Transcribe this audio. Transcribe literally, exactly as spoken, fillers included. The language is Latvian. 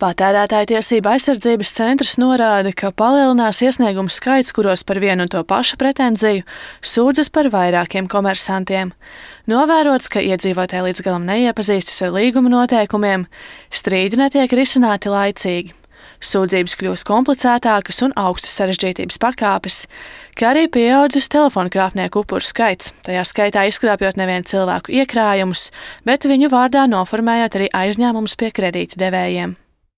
Patērētāju tiesību aizsardzības centrs norāda, ka palielinās iesniegumu skaits, kuros par vienu un to pašu pretenziju sūdzas par vairākiem komersantiem. Novērots, ka iedzīvotāji līdz galam neiepazīstas ar līguma noteikumiem, strīdi netiek risināti laicīgi. Sūdzības kļūst komplicētākas un augstas sarežģītības pakāpes, kā arī pieaudzis telefonu krāpnieku upuru skaits, tajā skaitā izkrāpjot nevienu cilvēku iekrājumus, bet viņu vārdā noformējot arī aizņēmumus pie kredīta devējiem.